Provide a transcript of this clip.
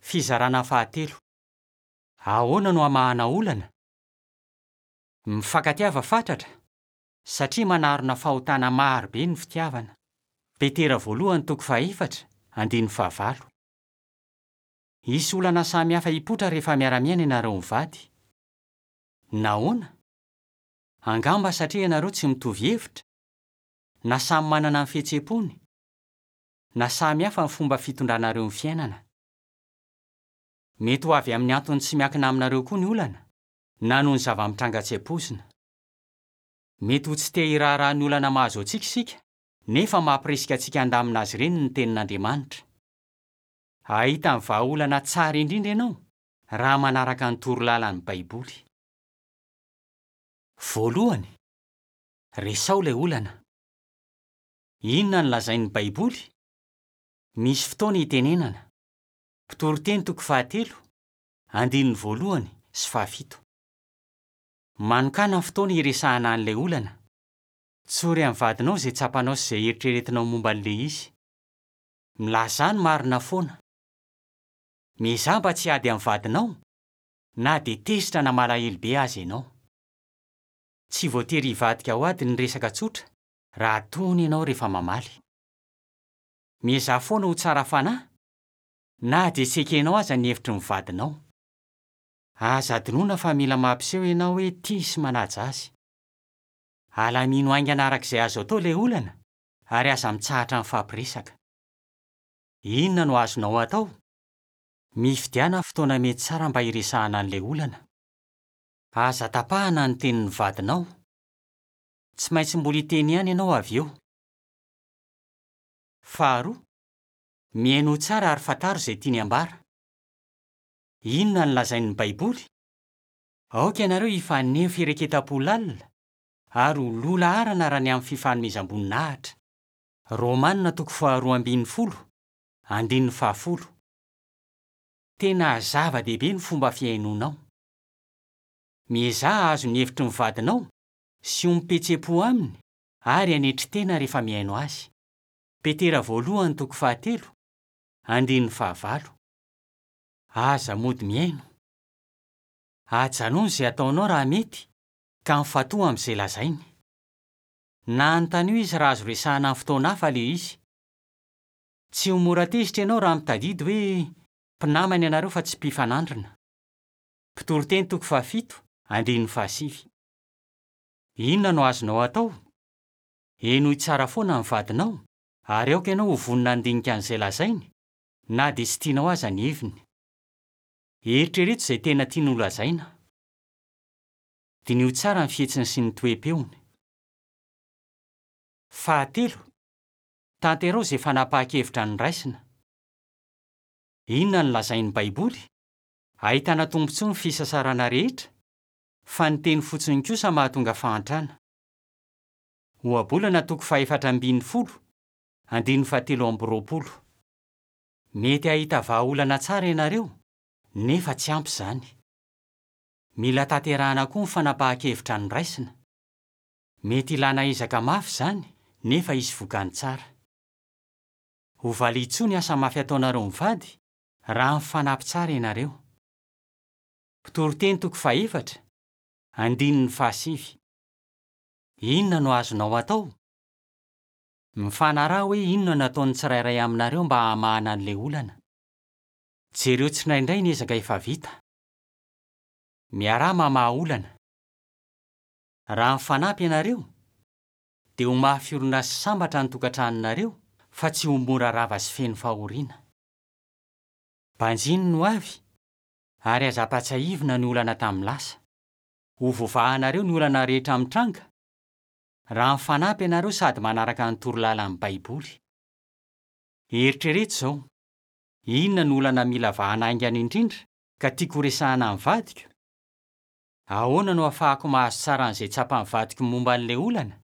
Fizarana fahatelo. Ahoana no hamahana olana? Mifankatiava fatratra, satria manarona fahotana maro be ny fitiavana. Petera voalohany toko fahefatra, andininy fahavalo. Hisy olana samihafa hipoitra rehefa miara-miaina ianareo mivady. Nahoana? Angamba satria ianareo tsy mitovy hevitra, na samy manana ny fihetseham-pony, na samy hafa ny fomba fitondranareo ny fiainana. Mety ho avy amin'ny antony tsy miankina aminareo koa ny olana, na noho ny zava-mitranga tsy ampoizina. Mety ho tsy te hiraharaha ny olana mahazo antsika isika, nefa mampirisika antsika handamina azy ireny ny Tenin'Andriamanitra. Hahita ny vahaolana tsara indrindra ianao raha manaraka ny toro lalan'ny Baiboly. Voalohany, resaho ilay olana. Inona no lazain'ny Baiboly? Misy fotoana itenenana. Mpitoriteny toko fahatelo, andininy voalohany sy fahafito. Manokàna fotoana hiresahana an'ilay olana. Tsory amin'ny vadinao izay tsapanao sy izay eritreretinao momba an'ilay izy. Milazà ny marina foana. Miezaha mba tsy hiady amin'ny vadinao, na dia tezitra na malahelo be aza ianao. Tsy voatery hivadika ho ady ny resaka tsotra raha tony ianao rehefa mamaly. Miezaha foana ho tsara fanahy, na dia tsy ekenao aza ny hevitry ny vadinao. Aza adinoina fa mila mampiseho ianao hoe tia sy manaja azy. Alamino haingana araka izay azo atao ilay olana ary aza mitsahatra mifampiresaka. Inona no azonao atao? Mifidiana fotoana mety tsara mba hiresahana an'ilay olana. Aza tapahana ny tenin'ny vadinao. Tsy maintsy mbola hiteny ihany ianao avy eo. Faharoa, mihainoa tsara ary fantaro izay tiany hambara. Inona no lazain'ny Baiboly? Aoka ianareo hifaneho fireketam-po lalina ary ho loha laharana raha ny amin'ny fifanomezam-boninahitra. Romana toko faharoa ambin'ny folo, andininy fahafolo. Tena zava-dehibe ny fomba fihainoanao. Miezaha hahazo ny hevitry ny vadinao sy ho mipetsepo aminy ary hanetry tena rehefa mihaino azy. Petera voalohany toko fahatelo, andininy fahavalo. Aza mody mihaino. Ajanony izay ataonao raha mety ka mifantoha amin'izay lazainy. Na anontanio izy raha azo resahina amin'ny fotoana hafa ilay izy. Tsy ho mora tezitra ianao raha mitadidy hoe mpinamana ianareo fa tsy mpifanandrina. Mpitoriteny toko fahafito, andininy fahasivy. Inona no azonao atao? Henoy tsara foana ny vadinao ary aoka ianao ho vonona handinika an'izay lazainy, na dia tsy tianao aza ny heviny. Eritrereto izay tena tiany holazaina. Diniho tsara ny fihetsiny sy ny toe-peony. Fahatelo, tanteraho izay fanapahan-kevitra noraisina. Inona no lazain'ny Baiboly? Ahitana tombontsoa ny fisasarana rehetra, fa ny teny fotsiny kosa mahatonga fahantrana. Ohabolana toko fahefatra ambin'ny folo, andininy fahatelo amby roapolo. Mety hahita vahaolana tsara ianareo, nefa tsy ampy izany. Mila tanterahana koa ny fanapahan-kevitra noraisina. Mety hilana ezaka mafy izany, nefa hisy vokany tsara. Ho valian-tsoa ny asa mafy ataonareo mivady raha mifanampy tsara ianareo. Mpitoriteny toko fahefatra, andininy fahasivy. Inona no azonao atao? Mifanaraha hoe inona no ataon'ny tsirairay aminareo mba hamahana an'ilay olana. Jereo tsindraindray ny ezaka efa vita. Miaraha mamaha olana. Raha mifanampy ianareo, dia ho mafy orina sy sambatra ny tokantranonareo fa tsy ho mora rava sy feno fahoriana. Banjino ny hoavy ary aza ampatsiahivina ny olana tamin'ny lasa. Ho voavahanareo ny olana rehetra mitranga raha mifanampy ianareo sady manaraka ny torolalan'ny Baiboly. Eritrereto izao, 'Inona no olana mila vahana haingana indrindra ka tiako horesahina amin'ny vadiko? Ahoana no ahafahako mahazo tsara an'izay tsapan'ny vadiko momba an'ilay olana?